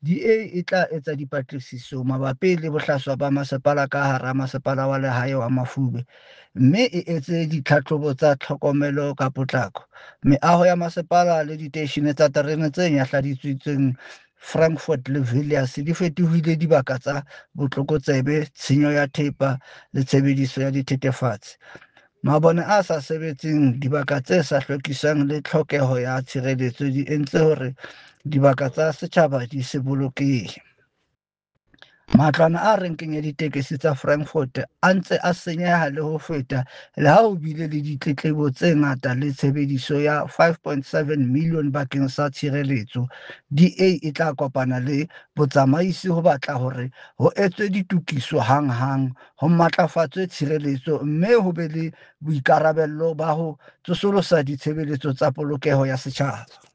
DA e tla etsa dipatlisiso mabapi le bohlaswa ba masepala ka hara Masepala wa Lehae wa Mafube mme e etse ditlhahlobo tsa tlhokomelo ka potlako. Meaho ya masepala le diteishene tsa terene tse nyahladitsweng Frankfort le Villiers di fetohile dibaka tsa botlokotsebe, tshenyo ya thepa le tshebediso ya dithethefatsi. Mabone a sa sebetseng, dibaka tse sa hlwekiswang le tlhokeho ya tshireletso di entse hore dibaka tsa setjhaba di se bolokehe. Matlwana a renkeng ya ditekesi tsa Frankfort a ntse a senyeha le ho feta le ha ho bile le ditletlebo tse ngata le tshebediso ya R5.7 milione bakeng sa tshireletso. DA e tla kopana le botsamaisi ho batla hore ho etswe ditokiso hanghang, ho matlafatswe tshireletso mme ho be le boikarabelo ba ho tsosolosa ditshebeletso tsa polokeho ya setjhaba.